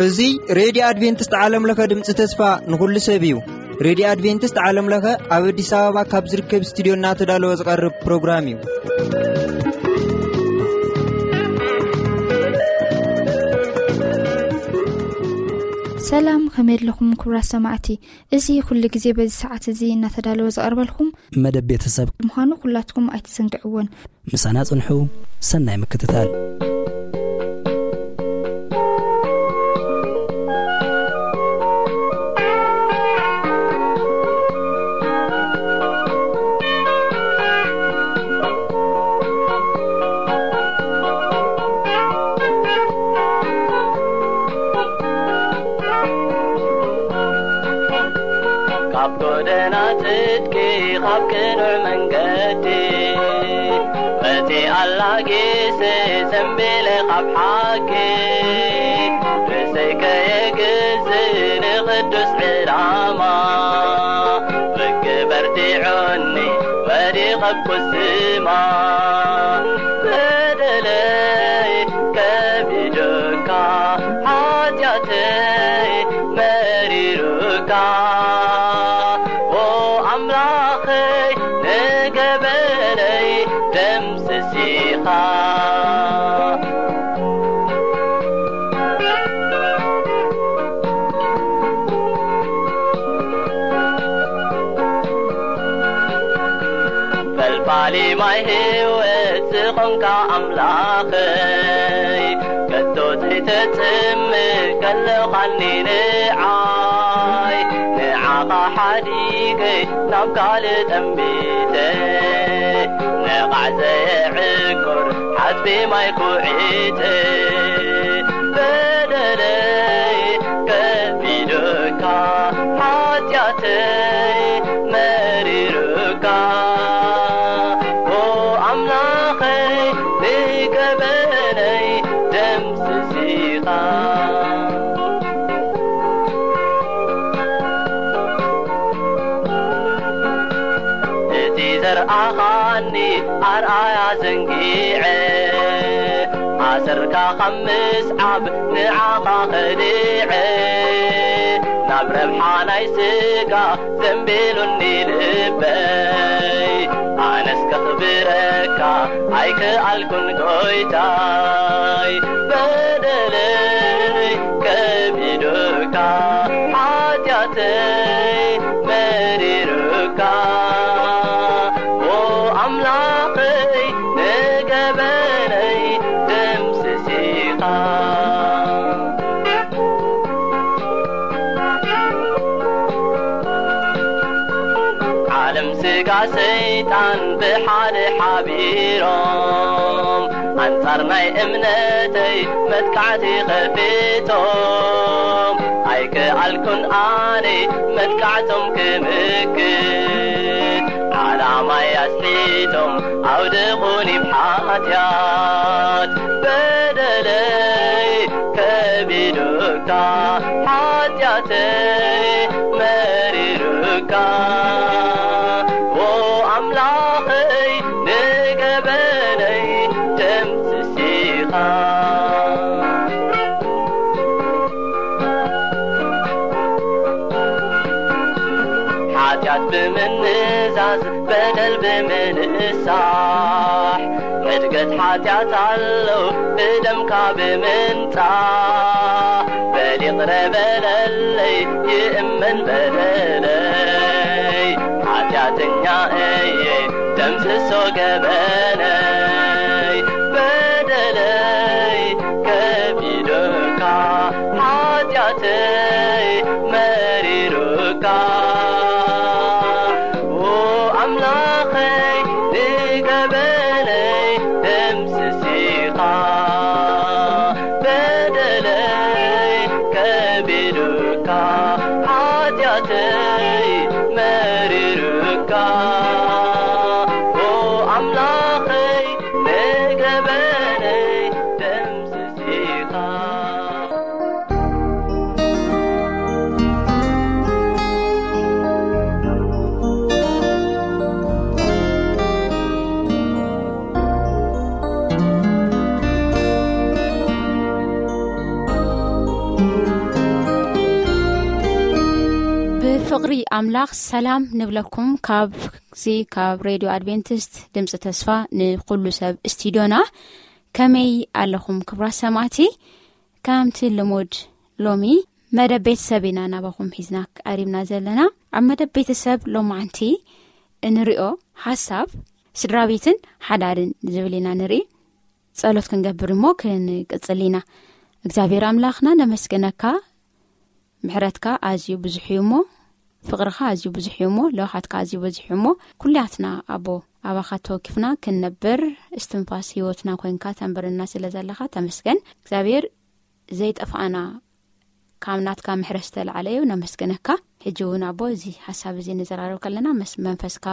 እዚ ሬድዮ ኣድቬንቲስት ዓለም ለኸ ድምፂ ተስፋ ንኹሉ ሰብ እዩ። ሬድዮ ኣድቬንቲስት ዓለም ለኸ ኣብ ኣዲስ ኣበባ ካብ ዝርከብ ስቱዲዮ እናተዳለወ ዝቐርብ ፕሮግራም እዩ። ሰላም፣ ከመይ ኣለኹም ክቡራት ሰማዕቲ? እዚ ኩሉ ግዜ በዚ ሰዓት እዚ እናተዳለወ ዝቐርበልኩም መደብ ቤተሰብ ምዃኑ ኩላትኩም ኣይትዘንግዕዎን። ምሳና ጽንሑ። ሰናይ ምክትታል። ካብ ጎደና ጽድቂ፣ ካብ ቅኑዕ መንገዲ፣ መጺኣ ኣላ ግዜ ዘንቢለ ካብ ሓቂ፣ ርእሰይ ከየግዝእ ንቕዱስ ዕላማ፣ ርግብ ኣርዲዑኒ ወዲቐ ኣብ ቁዝማ፣ በደለይ ከቢዱካ፣ ሓጢኣተይ መሪሩካ፣ ኦ ኣምላኸይ ንገበነይ ደምስሲኻ። ፈልፋሊ ማይ ህይወት ዝኾንካ ኣምላኸይ፣ ከቶ ዘይተጽምእ ከለኻኒ ንዓይ፣ ንዓኻ ሓዲገ ናብ ካልእ ጠሚተ፣ ነቓዕ ዘየዕቁር ሓጽቢ ማይ ኩዒተ፣ በደለይ ከቢዱካ፣ ሓጢኣተይ መሪሩካ፣ ኦ ኣምላኸይ ንገበነይ ደምስሲኻ። እቲ ዘርኣኻኒ ኣርኣያ ዘንጊዐ፣ ኣሰርካ ካብ ምስዓብ ንዓኻ ኸዲዐ፣ ናብ ረብሓ ናይ ስጋ ዘንቢሉኒ ልበይ። ኣነስ ከኽብረካ ኣይከኣልኩን ጎይታይ፣ በደለይ ከቢዱካ፣ ሓጢኣተይ መሪሩካ፣ ኦ ኣምላኸይ ንገበነይ ደምስሲኻ። ዓለም ስጋ ሰይጣን ብሓደ ሓቢሮም፣ ኣንጻር ናይ እምነተይ መጥቃዕቲ ኸፊቶም፣ ኣይከኣልኩን ኣነ መጥቃዕቶም ክምክት፣ ዓላማይ ኣስሒቶም ኣውድቑኒ ብሓጢኣት። በደለይ ከቢዱካ፣ ሓጢኣተይ መሪሩካ፣ ኦ ኣምላኸይ ንገበነይ ደምስሲኻ። ሓጢኣት ብምንዛዝ፣ በደል ብምንሳሕ፣ ሕድገት ሓጢኣት ኣሎ ብደምካ ብምንጻሕ። በል ይቕረ በለለይ፣ ይእመን በደለይ፣ ሓጢኣተኛ እየ፣ ደምስሶ ገበነይ። በደለይ ከቢዱካ፣ ሓጢኣተይ መሪሩካ፣ ኦ ኣምላኸይ ንገበነይ ደምስሲኻ። በደለይ ከቢዱካ፣ ሓጢኣተይ መሪሩካ፣ ኦ ኣምላኸይ ንገበነይ ደምስሲኻ። ኣምላኽ ሰላም ንብለኩም። ካብዚ ካብ ሬድዮ ኣድቬንቲስት ድምፂ ተስፋ ንኩሉ ሰብ ስቱዲዮና፣ ከመይ ኣለኹም ክቡራት ሰማዕቲ? ከምቲ ልሙድ ሎሚ መደብ ቤተሰብ ኢና ናባኹም ሒዝና ቀሪብና ዘለና። ኣብ መደብ ቤተሰብ ሎማዓንቲ እንሪኦ ሓሳብ ስድራ ቤትን ሓዳርን ዝብል ኢና ንርኢ። ጸሎት ክንገብር እሞ ክንቅጽል ኢና። እግዚኣብሔር ኣምላኽና ነመስግነካ። ምሕረትካ ኣዝዩ ብዙሕ እዩ እሞ፣ ፍቕርኻ ኣዝዩ ብዙሕ እዩ እሞ፣ ለውሃትካ ኣዝዩ ብዙሕ እዩ እሞ፣ ኩላትና ኣቦ ኣባኻ ተወኪፍና ክንነብር እስትንፋስ ህይወትና ኮንካ ተንብርና ስለ ዘለኻ ተመስገን። እግዚኣብሔር ዘይጠፋእና ካብ ናትካ ምሕረት ዝተላዕለ እዩ። ነመስግነካ። ሕጂ እውን ኣቦ እዚ ሓሳብ እዚ ንዘራረብ ከለና መስ-፣ መንፈስካ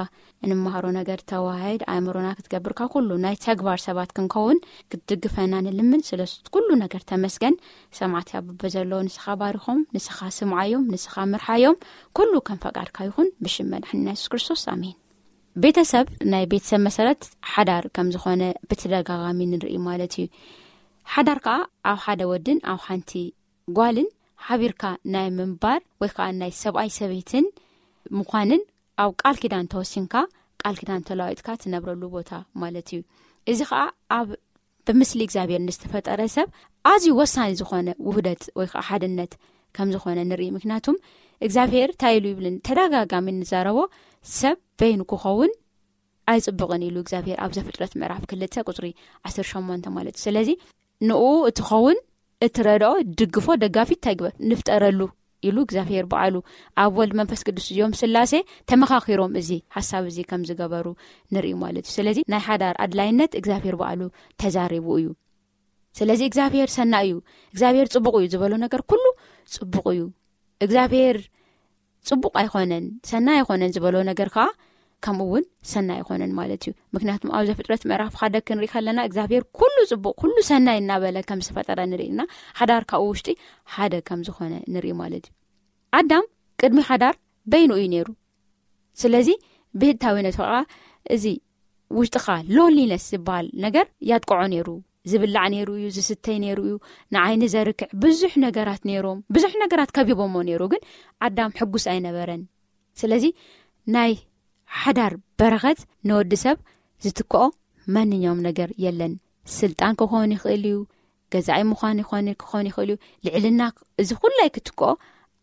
እንመሃሮ ነገር ተዋህድ ኣእምሮና ክትገብርካ ኩሉ ናይ ተግባር ሰባት ክንከውን ክትድግፈና ንልምን። ስለ ኩሉ ነገር ተመስገን። ሰማዕቲ ኣብ በዘለዎ ንስኻ ባርኾም፣ ንስኻ ስምዓዮም፣ ንስኻ ምርሓዮም። ኩሉ ከም ፈቃድካ ይኹን ብሽም መድሓኒና የሱስ ክርስቶስ ኣሜን። ቤተሰብ ናይ ቤተሰብ መሰረት ሓዳር ከም ዝኾነ ብተደጋጋሚ ንርኢ ማለት እዩ። ሓዳር ከኣ ኣብ ሓደ ወድን ኣብ ሓንቲ ጓልን ሓቢርካ ናይ ምንባር ወይ ከዓ ናይ ሰብኣይ ሰበይትን ምዃንን ኣብ ቃል ኪዳን ተወሲንካ ቃል ኪዳን ተለዋዊጥካ ትነብረሉ ቦታ ማለት እዩ። እዚ ከዓ ኣብ ብምስሊ እግዚኣብሔር ንዝተፈጠረ ሰብ ኣዝዩ ወሳኒ ዝኾነ ውህደት ወይ ከዓ ሓድነት ከም ዝኾነ ንርኢ። ምክንያቱም እግዚኣብሔር እንታይ ኢሉ ይብልን ተደጋጋሚ ንዛረቦ ሰብ በይኑ ክኸውን ኣይጽብቕን ኢሉ እግዚኣብሔር ኣብ ዘፍጥረት ምዕራፍ ክልተ ቁጽሪ ዓሰርተ ሸሞንተ ማለት እዩ። ስለዚ ንኡ እትኸውን እትረድኦ ድግፎ ደጋፊት እንታይ ግበር ንፍጠረሉ ኢሉ እግዚኣብሔር በዓሉ ኣብ ወልድ መንፈስ ቅዱስ እዮም ስላሴ ተመኻኺሮም እዚ ሓሳብ እዚ ከም ዝገበሩ ንርኢ ማለት እዩ። ስለዚ ናይ ሓዳር ኣድላይነት እግዚኣብሔር በዓሉ ተዛሪቡ እዩ። ስለዚ እግዚኣብሔር ሰናይ እዩ፣ እግዚኣብሔር ጽቡቕ እዩ ዝበሎ ነገር ኩሉ ጽቡቕ እዩ። እግዚኣብሔር ጽቡቕ ኣይኮነን፣ ሰናይ ኣይኮነን ዝበሎ ነገር ከዓ ከምኡ እውን ሰናይ ኣይኮነን ማለት እዩ። ምክንያቱም ኣብ ዘፍጥረት ምዕራፍ ሓደ ክንርኢ ከለና እግዚኣብሔር ኩሉ ጽቡቕ፣ ኩሉ ሰናይ እናበለ ከም ዝፈጠረ ንርኢ እና ሓዳር ካብኡ ውሽጢ ሓደ ከም ዝኾነ ንርኢ ማለት እዩ። ኣዳም ቅድሚ ሓዳር በይኑ እዩ ነይሩ። ስለዚ ብህታዊነቱ ከዓ እዚ ውሽጥኻ ሎንሊነስ ዝበሃል ነገር ያጥቅዖ ነይሩ። ዝብላዕ ነይሩ እዩ፣ ዝስተይ ነይሩ እዩ፣ ንዓይኒ ዘርክዕ ብዙሕ ነገራት ነይሮም፣ ብዙሕ ነገራት ከቢቦሞ ነይሩ። ግን ኣዳም ሕጉስ ኣይነበረን። ስለዚ ናይ ሓዳር በረኸት ንወዲ ሰብ ዝትክኦ ማንኛውም ነገር የለን። ስልጣን ክኾን ይኽእል እዩ፣ ገዛኢ ምዃን ይኾን ክኾን ይኽእል እዩ፣ ልዕልና፣ እዚ ኩላይ ክትክኦ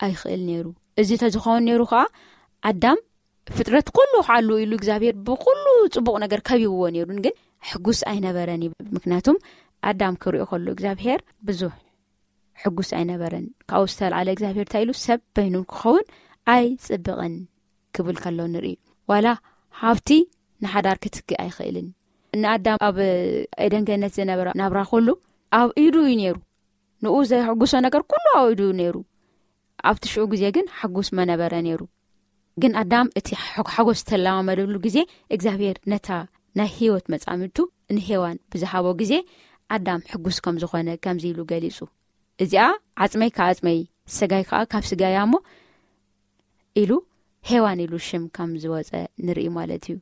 ኣይኽእል ነይሩ። እዚ ተዝኸውን ነይሩ ከዓ ኣዳም ፍጥረት ኩሉ ክዓሉ ኢሉ እግዚኣብሔር ብኩሉ ጽቡቕ ነገር ከቢብዎ ነይሩን፣ ግን ሕጉስ ኣይነበረን እዩ። ምክንያቱም ኣዳም ክሪኦ ከሎ እግዚኣብሔር ብዙሕ ሕጉስ ኣይነበረን። ካብኡ ዝተልዓለ እግዚኣብሔር እንታይ ኢሉ? ሰብ በይኑ ክኸውን ኣይጽብቕን ክብል ከሎ ንርኢ። ዋላ ሃብቲ ንሓዳር ክትክእ ኣይኽእልን። ንኣዳም ኣብ ኤደን ገነት ዝነበረ ናብራ ኩሉ ኣብ ኢዱ እዩ ነይሩ። ንኡ ዘሕጉሶ ነገር ኩሉ ኣብ ኢዱ ነይሩ። ኣብቲ ሽዑ ግዜ ግን ሕጉስ መነበረ ነይሩ። ግን ኣዳም እቲ ሓ-፣ ሓጎስ ዝተለማመደሉ ግዜ እግዚኣብሔር ነታ ናይ ህይወት መጻምድቱ ንሄዋን ብዝሃቦ ግዜ ኣዳም ሕጉስ ከም ዝኾነ ከምዚ ኢሉ ገሊጹ። እዚኣ ዓጽመይ ካብ ዓጽመይ፣ ስጋይ ከኣ ካብ ስጋይ እያ እሞ ኢሉ ሄዋን ኢሉ ሽም ከም ዝወጸ ንርኢ ማለት እዩ።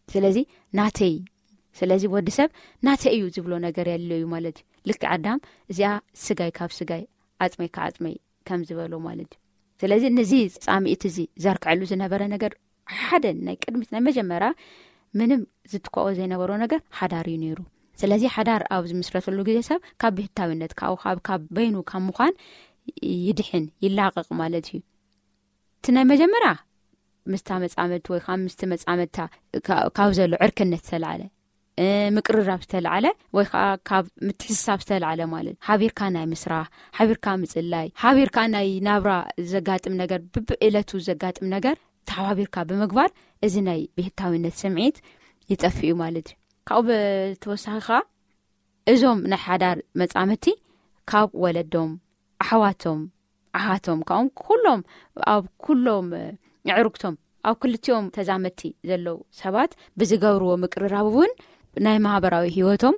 ስለዚ ናተይ፣ ስለዚ ወዲ ሰብ ናተይ እዩ ዝብሎ ነገር የለ እዩ ማለት እዩ። ልክዕ ኣዳም እዚኣ ስጋይ ካብ ስጋይ፣ ዓጽመይ ካብ ዓጽመይ ከም ዝበሎ ማለት እዩ። ስለዚ ነዚ ጻምኢት እዚ ዘርክዐሉ ዝነበረ ነገር ሓደ ናይ ቅድሚት ናይ መጀመርያ ምንም ዝትከኦ ዘይነበሮ ነገር ሓዳር እዩ ነይሩ። ስለዚ ሓዳር ኣብ ዝምስረተሉ ግዜ ሰብ ካብ ብህታዊነት፣ ካብ፣ ካብ፣ ካብ በይኑ ካብ ምዃን ይድሕን፣ ይላቐቕ ማለት እዩ። እቲ ናይ መጀመርያ ምስታ መጻምድቲ ወይ ከዓ ምስቲ መጻምድታ ካ-፣ ካብ ዘሎ ዕርክነት ዝተላዕለ፣ እ፣ ምቅርራብ ዝተላዕለ ወይ ከዓ ካብ ምትሕስሳብ ዝተላዕለ ማለት ሓቢርካ ናይ ምስራሕ፣ ሓቢርካ ምጽላይ፣ ሓቢርካ ናይ ናብራ ዘጋጥም ነገር፣ ብብዕለቱ ዘጋጥም ነገር ተሓባቢርካ ብምግባር እዚ ናይ ብህታዊነት ስምዒት ይጠፍእ እዩ ማለት እዩ። ካብኡ ብተወሳኺ ከዓ እዞም ናይ ሓዳር መጻምድቲ ካብ ወለዶም፣ ኣሕዋቶም፣ ኣሓቶም፣ ካብኦም ኩሎም ኣብ ኩሎም ኣዕሩግቶም፣ ኣብ ክልቲኦም ተዛመድቲ ዘለዉ ሰባት ብዝገብርዎ ምቅርራብ እውን ናይ ማህበራዊ ህይወቶም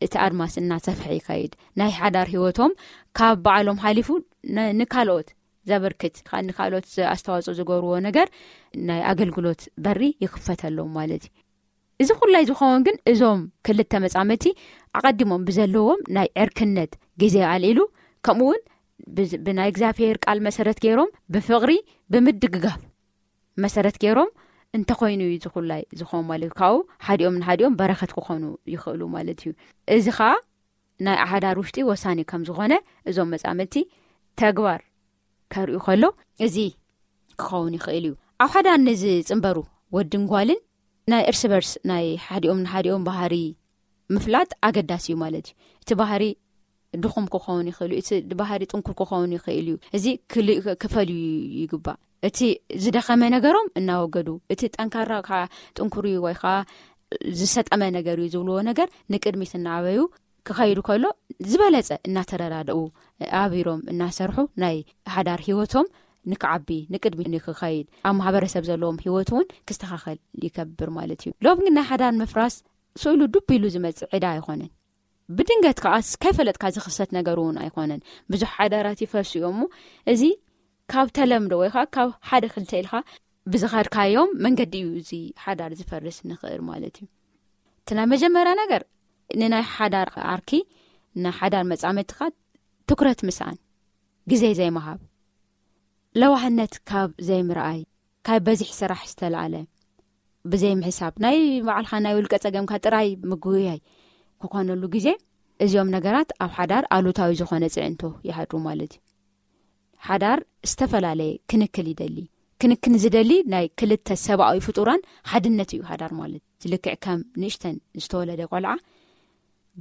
እቲ ኣድማስ እናሰፍሐ ይኸይድ። ናይ ሓዳር ህይወቶም ካብ ባዕሎም ሓሊፉ ን-፣ ንካልኦት ዘበርክት፣ ካ-፣ ንካልኦት ዝ-፣ ኣስተዋጽኦ ዝገብርዎ ነገር ናይ ኣገልግሎት በሪ ይኽፈተሎም ማለት እዩ። እዚ ኩላይ ዝኸውን ግን እዞም ክልተ መጻምድቲ ኣቐዲሞም ብዘለዎም ናይ ዕርክነት ግዜ ኣልዒሉ፣ ከምኡ እውን ብዝ-፣ ብናይ እግዚኣብሔር ቃል መሰረት ገይሮም ብፍቕሪ፣ ብምድግጋፍ፣ መሰረት ገይሮም እንተኾይኑ እዩ ዝኹላይ ዝኾን ማለት እዩ። ካብኡ ሓዲኦም ንሓዲኦም በረኸት ክኾኑ ይኽእሉ ማለት እዩ። እዚ ኸዓ ናይ ሓዳር ውሽጢ ወሳኒ ከም ዝኾነ እዞም መጻምድቲ ተግባር ከርእዩ ከሎ እዚ ክኸውን ይኽእል እዩ። ኣብ ሓዳር ንዝጽንበሩ ወድን ጓልን ናይ እርስ በርስ ናይ ሓዲኦም ንሓዲኦም ባህሪ ምፍላጥ ኣገዳሲ እዩ ማለት እዩ። እቲ ባህሪ ድኹም ክኸውን ይኽእል እዩ፣ እቲ ባህሪ ጥንኩር ክኸውን ይኽእል እዩ። እዚ ክልእ ክፈልዩ ይግባእ። እቲ ዝደኸመ ነገሮም እናወገዱ፣ እቲ ጠንካራ ከዓ ጥንኩር እዩ ወይ ከዓ ዝሰጠመ ነገር እዩ ዝብልዎ ነገር ንቅድሚት እናዓበዩ ክኸይዱ ከሎ ዝበለጸ እናተረዳድኡ ኣቢሮም እናሰርሑ ናይ ሓዳር ህይወቶም ንክዓቢ ንቅድሚ ንክኸይድ ኣብ ማህበረሰብ ዘለዎም ህይወት እውን ክስተኻኸል ይከብር ማለት እዩ። ሎም ግን ናይ ሓዳር ምፍራስ ስእሉ ዱብ ኢሉ ዝመጽእ ዕዳ ኣይኮነን። ብድንገት ከዓ ከይፈለጥካ ዝኽሰት ነገር እውን ኣይኮነን። ብዙሕ ሓዳራት ይፈርሱ እዮም እሞ እዚ ካብ ተለምዶ ወይ ከዓ ካብ ሓደ ክልተ ኢልካ ብዝኸድካዮም መንገዲ እዩ እዚ ሓዳር ዝፈርስ ንኽእል ማለት እዩ። እቲ ናይ መጀመርያ ነገር ንናይ ሓዳር ዓርኪ ንሓዳር መጻመድትኻ ትኩረት ምስኣን፣ ግዜ ዘይምሃብ፣ ለዋህነት ካብ ዘይምርኣይ፣ ካብ በዚሕ ስራሕ ዝተላዕለ ብዘይ ምሕሳብ ናይ ባዕልኻ ናይ ውልቀ ጸገምካ ጥራይ ምግውያይ ክኾነሉ ግዜ እዚኦም ነገራት ኣብ ሓዳር ኣሉታዊ ዝኾነ ጽዕንቶ ይሃድሩ ማለት እዩ። ሓዳር ዝተፈላለየ ክንክል ይደሊ። ክንክን ዝደሊ ናይ ክልተ ሰብኣዊ ፍጡራን ሓድነት እዩ ሓዳር ማለት። ልክዕ ከም ንእሽተን ዝተወለደ ቆልዓ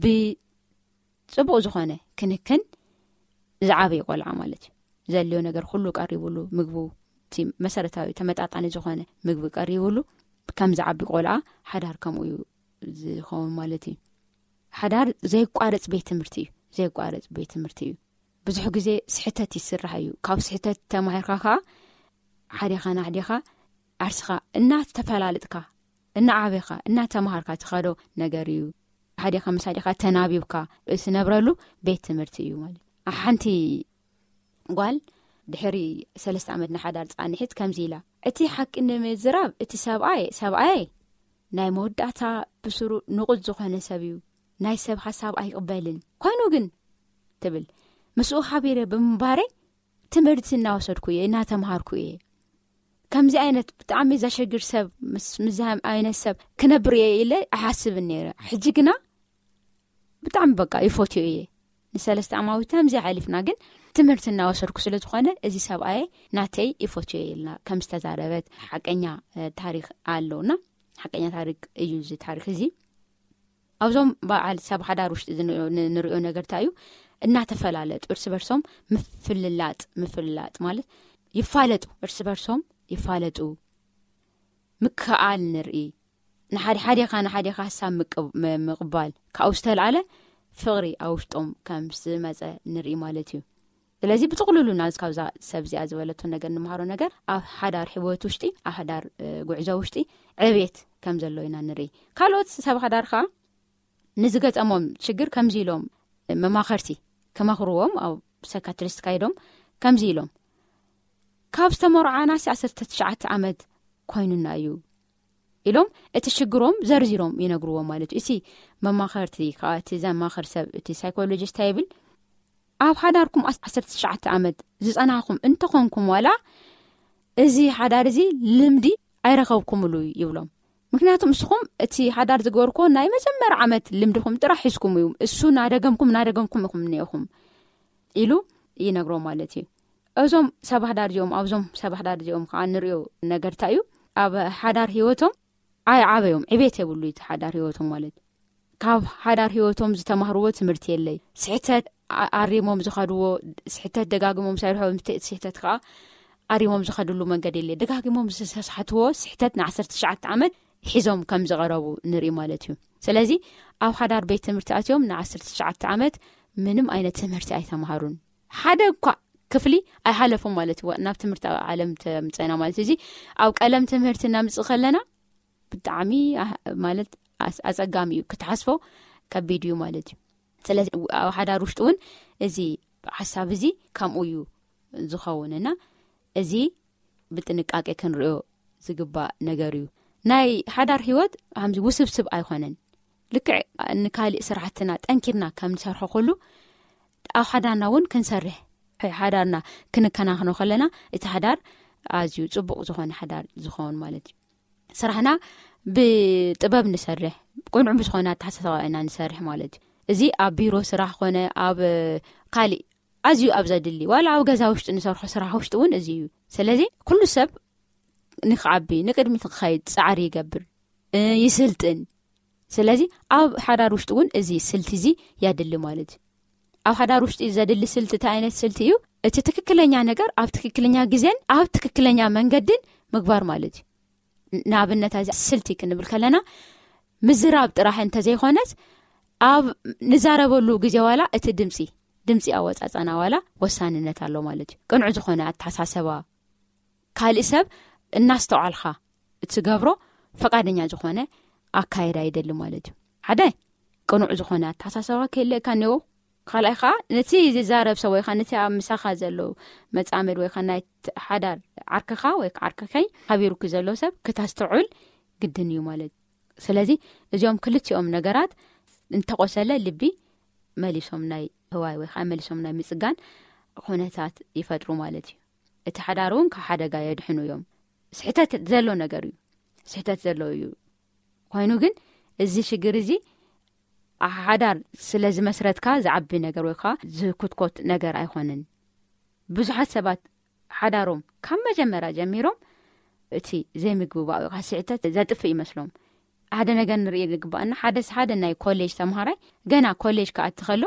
ብጽቡቕ ዝኾነ ክንክን ዝዓበየ ቆልዓ ማለት እዩ። ዘድልዮ ነገር ኩሉ ቀሪቡሉ፣ ምግቡ እቲ መሰረታዊ ተመጣጣኒ ዝኾነ ምግቢ ቀሪቡሉ ከም ዝዓቢ ቆልዓ ሓዳር ከምኡ እዩ ዝኸውን ማለት እዩ። ሓዳር ዘይቋረጽ ቤት ትምህርቲ እዩ። ዘይቋረጽ ቤት ትምህርቲ እዩ። ብዙሕ ግዜ ስሕተት ይስራሕ እዩ። ካብ ስሕተት ተማሂርካ ከዓ ሓዲኻ ንሓዲኻ ዓርስኻ እናተፈላለጥካ እናዓበኻ እናተምሃርካ ትኸዶ ነገር እዩ። ሓዲኻ ምስ ሓዲኻ ተናቢብካ እትነብረሉ ቤት ትምህርቲ እዩ ማለት እዩ። ሓንቲ ጓል ድሕሪ ሰለስተ ዓመት ንሓዳር ጻንሒት ከምዚ ኢላ፣ እቲ ሓቂ ንምዝራብ እቲ ሰብኣይ ሰብኣይ ናይ መወዳእታ ብስሩ ንቑጽ ዝኾነ ሰብ እዩ። ናይ ሰብ ሓሳብ ኣይቕበልን። ኮይኑ ግን ትብል፣ ምስኡ ሓቢረ ብምንባረይ ትምህርቲ እናወሰድኩ እየ፣ እናተምሃርኩ እየ። ከምዚ ዓይነት ብጣዕሚ ዘሸግር ሰብ ምስ ምዚ ዓይነት ሰብ ክነብር እየ ኢለ ኣይሓስብን ነይረ። ሕጂ ግና ብጣዕሚ በቃ ይፈትዮ እየ። ንሰለስተ ዓማዊት ከምዚ ሓሊፍና ግን ትምህርቲ እናወሰድኩ ስለ ዝኾነ እዚ ሰብኣየ ናተይ ይፈትዮ እየ ኢልና ከም ዝተዛረበት ሓቀኛ ታሪክ ኣለውና። ሓቀኛ ታሪክ እዩ እዚ ታሪክ እዚ። ኣብዞም በዓል ሰብ ሓዳር ውሽጢ ንሪኦ ነገር እንታይ እዩ? እናተፈላለጡ እርስ በርሶም ምፍልላጥ፣ ምፍልላጥ ማለት ይፋለጡ፣ እርስ በርሶም ይፋለጡ፣ ምክኣል ንርኢ። ንሓደ ሓዴኻ ንሓዴኻ ሓሳብ ምቅባል ካብኡ ዝተልዓለ ፍቕሪ ኣብ ውሽጦም ከም ዝመፀ ንርኢ ማለት እዩ። ስለዚ ብጥቕልሉ ናዚ ካብዛ ሰብ እዚኣ ዝበለቶ ነገር ንምሃሮ ነገር ኣብ ሓዳር ሕወት ውሽጢ ኣብ ሓዳር ጉዕዞ ውሽጢ ዕቤት ከም ዘሎ ኢና ንርኢ። ካልኦት ሰብ ሓዳር ከዓ ንዝገጠሞም ሽግር ከምዚ ኢሎም መማኸርቲ ክመኽርዎም ኣብ ሳይካትሪስት ካይዶም ከምዚ ኢሎም፣ ካብ ዝተመርዓናሲ ዓሰርተ ትሽዓተ ዓመት ኮይኑና እዩ ኢሎም እቲ ሽግሮም ዘርዚሮም ይነግርዎም ማለት እዩ። እቲ መማኸርቲ ከዓ እቲ ዘማኸር ሰብ እቲ ሳይኮሎጂስት ይብል ኣብ ሓዳርኩም ዓሰርተ ትሽዓተ ዓመት ዝፀናኹም እንተኾንኩም ዋላ እዚ ሓዳር እዚ ልምዲ ኣይረኸብኩምሉ ይብሎም። ምክንያቱ ንስኹም እቲ ሓዳር ዝገበርኩዎ ናይ መጀመርያ ዓመት ልምድኹም ጥራሕ ሒዝኩም እዩ፣ እሱ ናደገምኩም ናደገምኩም ኢኹም እኒኦኹም ኢሉ ይነግሮ ማለት እዩ። እዞም ሰብ ሓዳር እዚኦም ኣብዞም ሰብ ሓዳር እዚኦም ከዓ ንሪኦ ነገርታ እዩ ኣብ ሓዳር ህይወቶም ኣይዓበዮም ዕቤት የብሉ እቲ ሓዳር ህይወቶም ማለት ካብ ሓዳር ህይወቶም ዝተማህርዎ ትምህርቲ የለይ። ስሕተት ኣሪሞም ዝኸድዎ ስሕተት ደጋግሞም ሰርሖ ስሕተት ከዓ ኣሪሞም ዝኸድሉ መንገዲ የለ። ደጋግሞም ዝተሳሕትዎ ስሕተት ን ዓሰርተ ትሽዓተ ዓመት ሒዞም ከም ዝቐረቡ ንርኢ ማለት እዩ። ስለዚ ኣብ ሓዳር ቤት ትምህርቲ ኣትዮም ን ዓሰርተ ትሽዓተ ዓመት ምንም ዓይነት ትምህርቲ ኣይተምሃሩን። ሓደ እኳ ክፍሊ ኣይሓለፉም ማለት እዩ። ናብ ትምህርቲ ዓለም ተምፀና ማለት እዚ ኣብ ቀለም ትምህርቲ እናምፅእ ከለና ብጣዕሚ ማለት ኣፀጋሚ እዩ ክትሓስፎ ከቢድ እዩ ማለት እዩ። ስለዚ ኣብ ሓዳር ውሽጢ እውን እዚ ሓሳብ እዚ ከምኡ እዩ ዝኸውን እና እዚ ብጥንቃቄ ክንሪኦ ዝግባእ ነገር እዩ። ናይ ሓዳር ህይወት ከምዚ ውስብስብ ኣይኮነን። ልክዕ ንካሊእ ስራሕትና ጠንኪርና ከም ንሰርሖ ኩሉ ኣብ ሓዳርና እውን ክንሰርሕ ሓዳርና ክንከናኸኖ ከለና እቲ ሓዳር ኣዝዩ ጽቡቕ ዝኾነ ሓዳር ዝኸውን ማለት እዩ። ስራሕና ብጥበብ ንሰርሕ፣ ቅኑዕ ብዝኾነ ኣተሓሳሰባ ኢና ንሰርሕ ማለት እዩ። እዚ ኣብ ቢሮ ስራሕ ኮነ ኣብ ካሊእ ኣዝዩ ኣብ ዘድሊ ዋላ ኣብ ገዛ ውሽጢ ንሰርሖ ስራሕ ውሽጢ እውን እዚ እዩ። ስለዚ ኩሉ ሰብ ንክዓቢ ንቅድሚት ንክኸይድ ፃዕሪ ይገብር፣ ይስልጥን። ስለዚ ኣብ ሓዳር ውሽጢ እውን እዚ ስልቲ እዚ ያድሊ ማለት እዩ። ኣብ ሓዳር ውሽጢ ዘድሊ ስልቲ እንታይ ዓይነት ስልቲ እዩ? እቲ ትክክለኛ ነገር ኣብ ትክክለኛ ግዜን ኣብ ትክክለኛ መንገድን ምግባር ማለት እዩ። ንኣብነት እዚ ስልቲ ክንብል ከለና ምዝራብ ጥራሕ እንተዘይኮነስ ኣብ ንዛረበሉ ግዜ ዋላ እቲ ድምፂ ድምፂ ኣወፃፃና ዋላ ወሳንነት ኣሎ ማለት እዩ። ቅኑዕ ዝኾነ ኣተሓሳሰባ፣ ካልእ ሰብ እናስተውዓልካ እትገብሮ ፈቃደኛ ዝኾነ ኣካየዳ ይደሊ ማለት እዩ። ሓደ ቅኑዕ ዝኾነ ኣተሓሳሰባ ክህልእካ እኒዎ። ካልኣይ ከዓ ነቲ ዝዛረብ ሰብ ወይ ከዓ ነቲ ኣብ ምሳኻ ዘሎ መፃመድ ወይ ከዓ ናይ ሓዳር ዓርክኻ ወይ ከዓ ዓርክኸይ ሓቢሩኪ ዘሎ ሰብ ክታስተውዕል ግድን እዩ ማለት እዩ። ስለዚ እዚኦም ክልቲኦም ነገራት እንተቆሰለ ልቢ መሊሶም ናይ ህዋይ ወይ ከዓ መሊሶም ናይ ምፅጋን ኩነታት ይፈጥሩ ማለት እዩ። እቲ ሓዳር እውን ካብ ሓደጋ የድሕኑ እዮም። ስሕተት ዘሎ ነገር እዩ፣ ስሕተት ዘሎ እዩ። ኮይኑ ግን እዚ ሽግር እዚ ሓዳር ስለ ዝመስረትካ ዝዓቢ ነገር ወይ ከዓ ዝኩትኮት ነገር ኣይኮንን። ብዙሓት ሰባት ሓዳሮም ካብ መጀመርያ ጀሚሮም እቲ ዘይምግብባእ ወይ ከዓ ስሕተት ዘጥፍእ ይመስሎም። ሓደ ነገር ንርኢ ዝግባኣና፣ ሓደ ሓደ ናይ ኮሌጅ ተምሃራይ ገና ኮሌጅ ክኣቲ ከሎ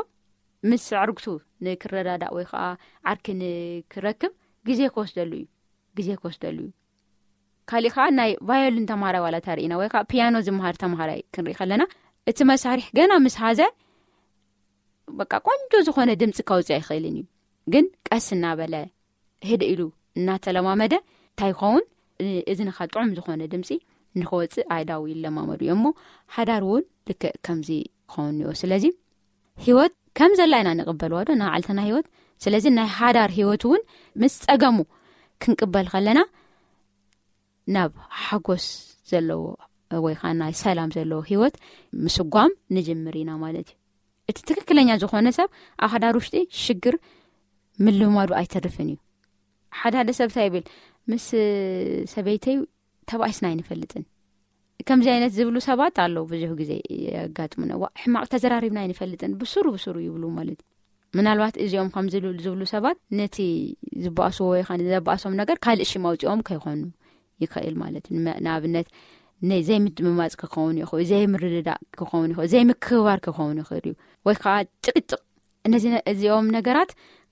ምስ ኣዕርግቱ ንክረዳዳእ ወይ ከዓ ዓርኪ ንክረክብ ግዜ ክወስደሉ እዩ፣ ግዜ ክወስደሉ እዩ። ካሊእ ከዓ ናይ ቫዮሊን ተምሃራይ ዋላ ተርእና ወይ ከዓ ፒያኖ ዝምሃር ተምሃራይ ክንርኢ ከለና እቲ መሳርሒ ገና ምስ ሃዘ በቃ ቆንጆ ዝኾነ ድምፂ ከውፅእ ኣይኽእልን እዩ። ግን ቀስ እናበለ ህድእ ኢሉ እናተለማመደ እንታይ ይኸውን፣ እዝንኻ ጥዑም ዝኾነ ድምፂ ንክወፅእ ኣእዳው ይለማመዱ እዮም። እሞ ሓዳር እውን ልክዕ ከምዚ ክኸውን እኒኦ። ስለዚ ህይወት ከም ዘላ ኢና ንቕበልዋ ዶ ንዓልትና ህይወት? ስለዚ ናይ ሓዳር ህይወት እውን ምስ ፀገሙ ክንቅበል ከለና ናብ ሓጎስ ዘለዎ ወይ ከዓ ናይ ሰላም ዘለዎ ህይወት ምስጓም ንጅምር ኢና ማለት እዩ። እቲ ትክክለኛ ዝኾነ ሰብ ኣብ ሓዳር ውሽጢ ሽግር ምልማዱ ኣይተርፍን እዩ። ሓደ ሓደ ሰብ እንታይ ይብል፣ ምስ ሰበይተይ ተባኢስና ኣይንፈልጥን። ከምዚ ዓይነት ዝብሉ ሰባት ኣለዉ፣ ብዙሕ ግዜ የጋጥሙና። ዋ፣ ሕማቕ ተዘራሪብና ኣይንፈልጥን፣ ብስሩ ብስሩ ይብሉ ማለት እዩ። ምናልባት እዚኦም ከም ዝብሉ ዝብሉ ሰባት ነቲ ዝበኣስዎ ወይ ከዓ ዘበኣሶም ነገር ካልእ ሽም ኣውፂኦም ከይኾኑ ይኽእል ማለት እዩ። ንመ-፣ ንኣብነት ነ-፣ ዘይምድምማፅ ክኸውን ይኽእል፣ ዘይምርድዳእ ክኸውን ይኽእል፣ ዘይምክብባር ክኸውን ይኽእል እዩ፣ ወይ ከዓ ጭቅጭቅ። እነዚ ነ-፣ እዚኦም ነገራት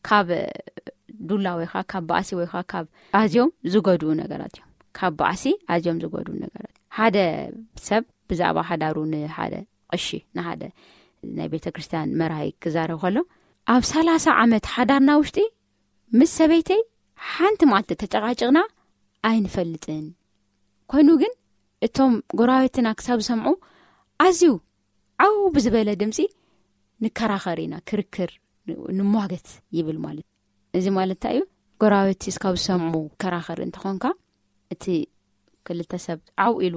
ካብ ዱላ ወይ ከዓ ካብ ባእሲ ወይ ከዓ ካብ ኣዝዮም ዝጎድኡ ነገራት እዮም። ካብ ባእሲ ኣዝዮም ዝጎድኡ ነገራት። ሓደ ሰብ ብዛዕባ ሓዳሩ ንሓደ ቀሺ፣ ንሓደ ናይ ቤተ ክርስቲያን መርሃይ ክዛረብ ከሎ፣ ኣብ ሰላሳ ዓመት ሓዳርና ውሽጢ ምስ ሰበይተይ ሓንቲ መዓልቲ ተጨቃጭቕና ኣይንፈልጥን። ኮይኑ ግን እቶም ጎረባብትና ክሳብ ዝሰምዑ ኣዝዩ ዓው ብዝበለ ድምፂ ንከራኸር ኢና፣ ክርክር ን-፣ ንሟገት ይብል ማለት። እዚ ማለት እንታይ እዩ? ጎረባብቲ እስካብ ዝሰምዑ ከራኸር እንተኾንካ፣ እቲ ክልተ ሰብ ዓው ኢሉ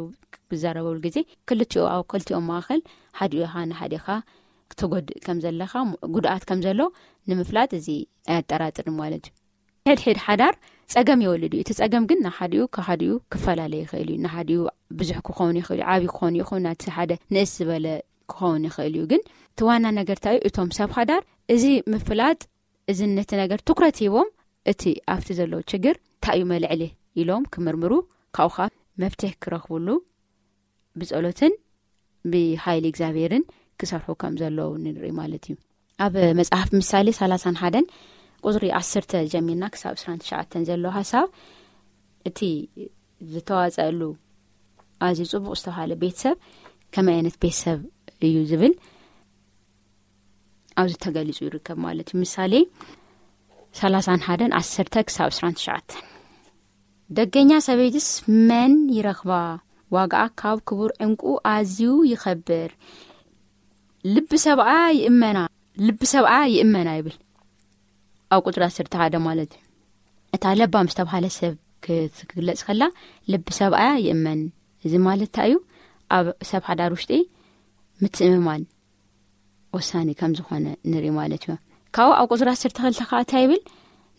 ብዛረበሉ ግዜ ክልቲኡ፣ ኣብ ክልቲኦም ማእኸል ሓዲኡ ኢኻ ንሓዲኻ ክትጎድእ ከም ዘለኻ፣ ጉድኣት ከም ዘሎ ንምፍላጥ እዚ ኣየጠራጥርን ማለት እዩ። ሕድሕድ ሓዳር ጸገም ይወልድ እዩ። እቲ ጸገም ግን ንሓዲኡ ካብ ሓዲኡ ክፈላለ ይኽእል እዩ። ንሓዲኡ ብዙሕ ክኸውን ይኽእል እዩ፣ ዓብዪ ክኸውን ይኽእል፣ ናቲ ሓደ ንእስ ዝበለ ክኸውን ይኽእል እዩ። ግን እቲ ዋና ነገር እንታይ እዩ? እቶም ሰብ ሓዳር እዚ ምፍላጥ፣ እዚ ነቲ ነገር ትኩረት ሂቦም እቲ ኣብቲ ዘሎ ችግር እንታይ እዩ መልዕሊ ኢሎም ክምርምሩ፣ ካብኡ ኸኣ መፍትሒ ክረኽብሉ ብጸሎትን ብሓይሊ እግዚኣብሔርን ክሰርሑ ከም ዘለዉ ንርኢ ማለት እዩ። ኣብ መጽሓፍ ምሳሌ ሰላሳን ሓደን ቁጽሪ ዓሰርተ ጀሚርና ክሳብ ዕስራን ትሽዓተን ዘሎ ሓሳብ፣ እቲ ዝተዋጸአሉ ኣዝዩ ጽቡቕ ዝተባሃለ ቤተሰብ ከመይ ዓይነት ቤተሰብ እዩ ዝብል ኣብዚ ተገሊጹ ይርከብ ማለት እዩ። ምሳሌ ሰላሳን ሓደን ዓሰርተ ክሳብ ዕስራን ትሽዓተን። ደገኛ ሰበይትስ መን ይረኽባ? ዋጋኣ ካብ ክቡር ዕንቁ ኣዝዩ ይኸብር። ልቢ ሰብኣ ይእመና፣ ልቢ ሰብኣ ይእመና ይብል። ኣብ ቁጽሪ ዓሰርተ ሓደ ማለት እዩ። እታ ለባም ዝተባሃለ ሰብ ክትግለጽ ከላ፣ ልቢ ሰብኣያ ይእመን። እዚ ማለት እንታይ እዩ? ኣብ ሰብ ሓዳር ውሽጢ ምትእምማን ወሳኒ ከም ዝኾነ ንርኢ ማለት እዩ። ካብኡ ኣብ ቁጽሪ ዓሰርተ ክልተ ከዓ እንታይ ይብል?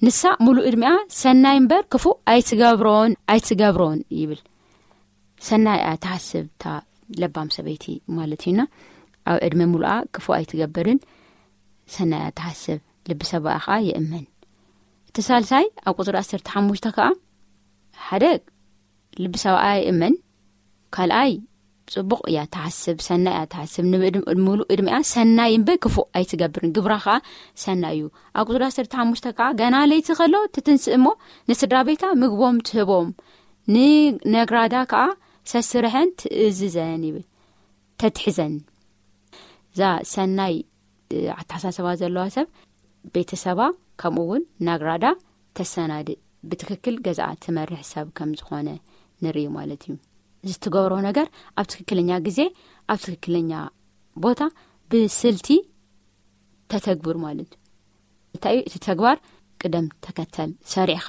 ንሳ ሙሉእ ዕድሚኣ ሰናይ እምበር ክፉእ ኣይትገብሮን ኣይትገብሮን ይብል። ሰናይ እያ ትሓስብ እታ ለባም ሰበይቲ ማለት እዩና። ኣብ ዕድመ ሙሉኣ ክፉእ ኣይትገብርን፣ ሰናይ እያ ትሓስብ፣ ልቢ ሰብኣ ኸኣ ይእመን። እቲ ሳልሳይ ኣብ ቁጽሪ ዓሰርተ ሓሙሽተ ከኣ ሓደ ልቢ ሰብኣ ይእመን፣ ካልኣይ ጽቡቕ እያ ትሓስብ፣ ሰናይ እያ ትሓስብ። ንብእድም-፣ ሙሉእ እድሜኣ ሰናይ እምበር ክፉእ ኣይትገብርን። ግብራ ኸኣ ሰናይ እዩ። ኣብ ቁጽሪ ዓሰርተ ሓሙሽተ ከኣ ገና ለይቲ ከሎ ትትንስእ እሞ ንስድራ ቤታ ምግቦም ትህቦም፣ ንነግራዳ ከኣ ሰስርሐን ትእዝዘን ይብል። ተትሕዘን። እዛ ሰናይ ኣተሓሳስባ ዘለዋ ሰብ ቤተሰባ ከምኡ እውን ናግራዳ ተሰናድእ፣ ብትክክል ገዛኣ ትመርሕ ሰብ ከም ዝኾነ ንርኢ ማለት እዩ። እዚ ትገብሮ ነገር ኣብ ትክክለኛ ግዜ ኣብ ትክክለኛ ቦታ ብስልቲ ተተግብር ማለት እዩ። እንታይ እዩ እቲ ተግባር? ቅደም ተከተል ሰሪዕኻ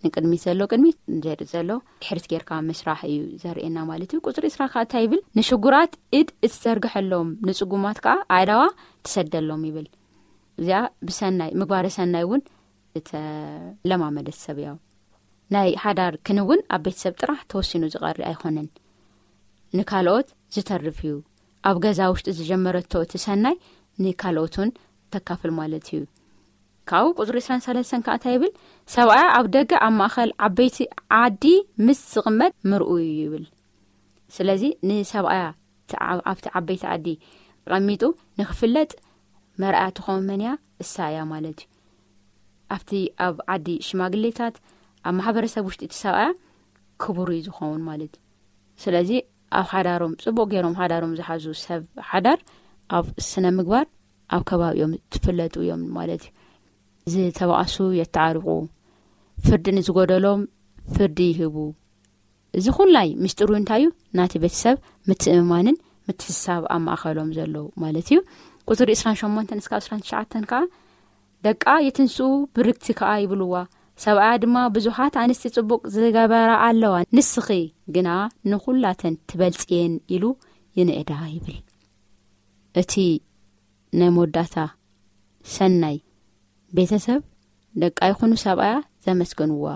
ንቅድሚት ዘሎ ቅድሚት፣ ንድሕሪት ዘሎ ድሕሪት ጌርካ ምስራሕ እዩ ዘርእየና ማለት እዩ። ቁፅሪ ዕስራ ከዓ እንታይ ይብል? ንሽጉራት ኢድ እትዘርግሐሎም፣ ንፅጉማት ከዓ ኣእዳዋ ትሰደሎም ይብል። እዚኣ ብሰናይ ምግባረ ሰናይ እውን እተለማመደት ሰብ እያ። ናይ ሓዳር ክንውን ኣብ ቤተሰብ ጥራሕ ተወሲኑ ዝቐሪ ኣይኮነን፣ ንካልኦት ዝተርፍ እዩ። ኣብ ገዛ ውሽጢ ዝጀመረቶ እቲ ሰናይ ንካልኦት እውን ተካፍል ማለት እዩ። ካብኡ ቁፅሪ ዕስራን ሰለስተን ከዓ እንታይ ይብል? ሰብኣያ ኣብ ደገ ኣብ ማእኸል ዓበይቲ ዓዲ ምስ ዝቕመጥ ምርኡ እዩ ይብል። ስለዚ ንሰብኣያ እቲ ዓ-፣ ኣብቲ ዓበይቲ ዓዲ ተቐሚጡ ንክፍለጥ መርኣያ ትኸውን መን እያ? እሳ እያ ማለት እዩ። ኣብቲ ኣብ ዓዲ ሽማግሌታት ኣብ ማሕበረሰብ ውሽጢ እቲ ሰብኣያ ክቡር እዩ ዝኸውን ማለት እዩ። ስለዚ ኣብ ሓዳሮም ጽቡቕ ገይሮም ሓዳሮም ዝሓዙ ሰብ ሓዳር ኣብ ስነ ምግባር ኣብ ከባቢኦም ትፍለጡ እዮም ማለት እዩ። ዝተባኣሱ የተዓርቁ፣ ፍርዲ ንዝጎደሎም ፍርዲ ይህቡ። እዚ ኩላይ ምስጢሩ እንታይ እዩ? ናቲ ቤተሰብ ምትእምማንን ምትሕስሳብ ኣብ ማእኸሎም ዘሎ ማለት እዩ። ቁፅሪ ዕስራን ሸሞንተን እስካብ ዕስራን ትሽዓተን ከዓ ደቃ የትንስኡ ብርክቲ ከዓ ይብልዋ። ሰብኣያ ድማ ብዙሓት ኣንስቲ ጽቡቕ ዝገበራ ኣለዋ፣ ንስኺ ግና ንኹላተን ትበልጽየን ኢሉ ይንእዳ ይብል። እቲ ናይ መወዳእታ ሰናይ ቤተሰብ ደቃ ይኹኑ ሰብኣያ ዘመስገንዋ፣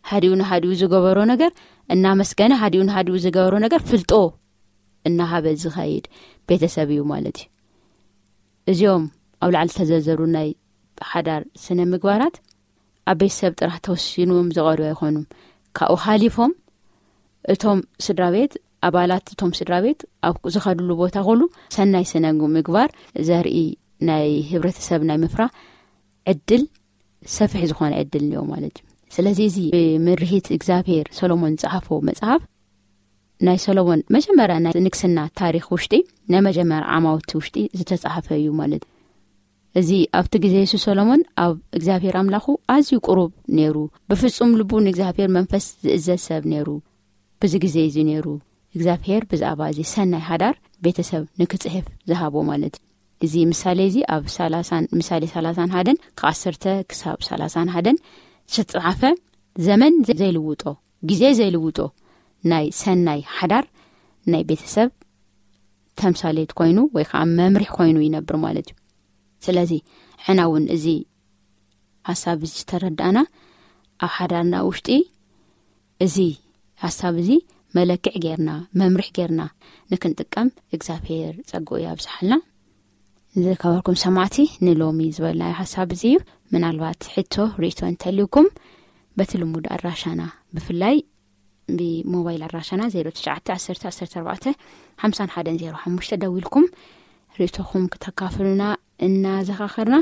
ሃዲኡ ንሃዲኡ ዝገበሮ ነገር እናመስገነ፣ ሃዲኡ ንሃዲኡ ዝገበሮ ነገር ፍልጦ እናሃበ ዝኸይድ ቤተሰብ እዩ ማለት እዩ። እዚኦም ኣብ ላዕሊ ዝተዘርዘሩ ናይ ሓዳር ስነ ምግባራት ኣብ ቤተሰብ ጥራሕ ተወሲኖም ዝቐርዩ ኣይኾኑም። ካብኡ ሓሊፎም እቶም ስድራ ቤት፣ ኣባላት እቶም ስድራ ቤት ኣብ ዝኸድሉ ቦታ ኩሉ ሰናይ ስነ ምግባር ዘርኢ ናይ ህብረተሰብ ናይ ምፍራ ዕድል ሰፊሕ ዝኾነ ዕድል እኒኦ ማለት እዩ። ስለዚ እዚ ብምርሂት እግዚኣብሔር ሰሎሞን ዝጸሓፎ መጽሓፍ ናይ ሰሎሞን መጀመርያ ናይ ንግስና ታሪኽ ውሽጢ ናይ መጀመርያ ዓማውቲ ውሽጢ ዝተጻሓፈ እዩ ማለት እዩ። እዚ ኣብቲ ግዜ የሱስ ሰሎሞን ኣብ እግዚኣብሔር ኣምላኹ ኣዝዩ ቅሩብ ነይሩ። ብፍጹም ልቡ ንእግዚኣብሔር መንፈስ ዝእዘዝ ሰብ ነይሩ። ብዚ ግዜ እዚ ነይሩ እግዚኣብሔር ብዛዕባ እዚ ሰናይ ሓዳር ቤተሰብ ንክጽሕፍ ዝሃቦ ማለት እዩ። እዚ ምሳሌ እዚ ኣብ ሰላሳን ምሳሌ ሰላሳን ሓደን ካብ ዓሰርተ ክሳብ ሰላሳን ሓደን ዝተጻሓፈ ዘመን ዘይልውጦ፣ ግዜ ዘይልውጦ ናይ ሰናይ ሓዳር ናይ ቤተሰብ ተምሳሌት ኮይኑ ወይ ከዓ መምርሒ ኮይኑ ይነብር ማለት እዩ። ስለዚ ሕና እውን እዚ ሓሳብ እዚ ዝተረዳእና ኣብ ሓዳርና ውሽጢ እዚ ሓሳብ እዚ መለክዕ ጌርና መምርሒ ጌርና ንክንጥቀም እግዚኣብሔር ጸግኡ ያብዝሓልና። ዝከበርኩም ሰማዕቲ ንሎሚ ዝበልናዮ ሓሳብ እዚ እዩ። ምናልባት ሕቶ ርእቶ እንተልዩኩም በቲ ልሙድ ኣድራሻና ብፍላይ ብሞባይል ኣድራሻና ዜሮ ትሽዓተ ዓሰርተ ዓሰርተ ኣርባዕተ ሓምሳን ሓደን ዜሮ ሓሙሽተ ደዊልኩም ርእቶኹም ክተካፍሉና እናዘኻኸርና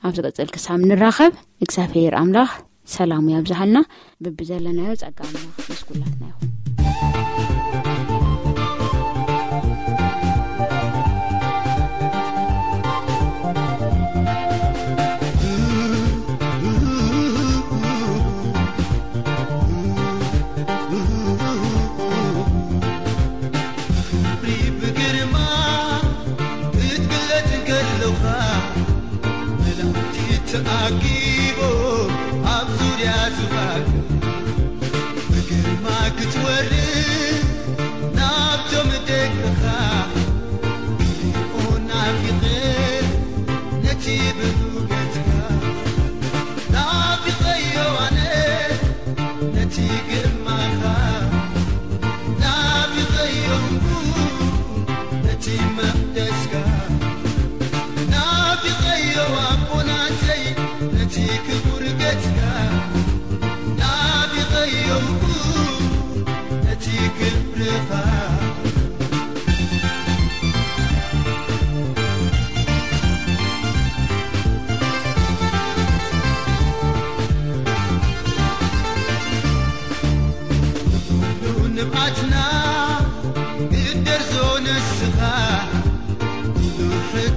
ኣብ ዝቕጽል ክሳብ ንራኸብ እግዚኣብሔር ኣምላኽ ሰላሙ ያብዝሃልና። ብብዘለናዮ ጸጋ ኣምላኽ ምስ ኩላትና ይኹን። ክብሪ ብግርማ ክትግለጽ እንከለኻ መላእክቲ ተኣኪቦም ኣብ ዙርያ ዙፋን ብግርማ ክትወርድ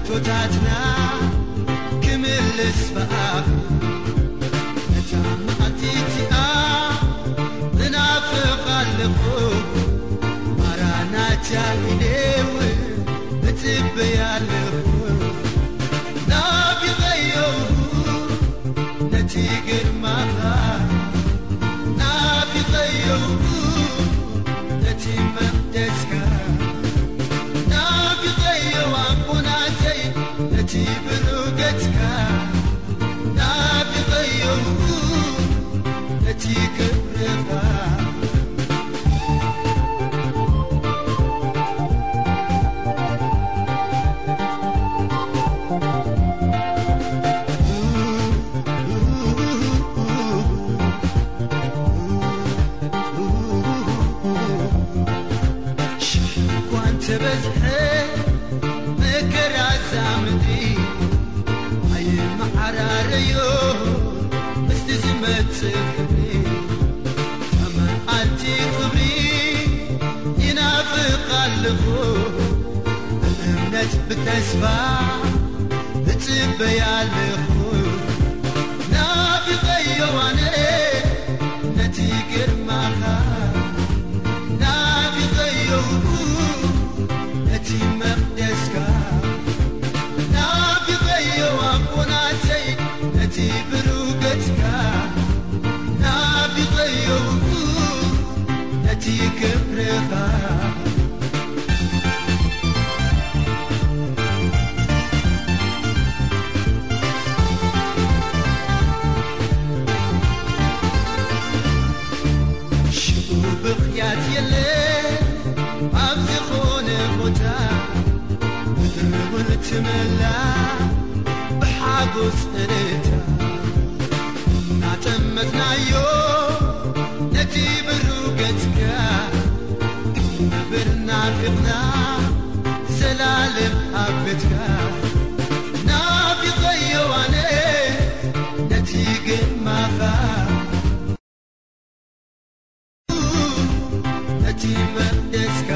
ቶታትና ክምልስ ብኣፍ ነታ መዓልቲ እቲኣ እናፍቕ ኣለኹ። ማራናታ ኢለ እውን እጽበያ ኣለኹ። ናፊቐዮ ነቲ ግርማኻ፣ ናፊቐዮ ነቲ መቕደስካ፣ ናፊቐዮ ኣቦናተይ ነቲ ብሩገትካ፣ ናፊቐዮ ነቲ ክብርኻ። ሽሕ እኳ እንተበዝሐ መከራ እዛ ምድሪ፣ ኣይመዓራረዮ ምስቲ ዝመጽእ ክብሪ። መዓልቲ ክብሪ ይናፍቕ ኣለኹ፣ ብእምነት ብተስፋ እጽበያ ኣለኹ። ናፊቐዮ ኣነ ነቲ ግርማኻ፣ ናፊቐዮ ነቲ መቕደስካ፣ ናፊቐዮ ኣቦናተይ ነቲ ብሩገትካ፣ ናፊቐዮ ነቲ ክብርኻ። ሽዑ ብኽያት የለ ኣብ ዝኾነ ቦታ፣ ምድሪ እውን ትመላ ብሓጎስ እልልታ። እናጠመትናዮ ነቲ ብሩህ ገጽካ፣ ክንነብር ናፊቕና ዘላለም ኣብ ቤትካ። ናፊቐዮ ኣነ ነቲ ግርማኻ፣ ነቲ መቕደስካ፣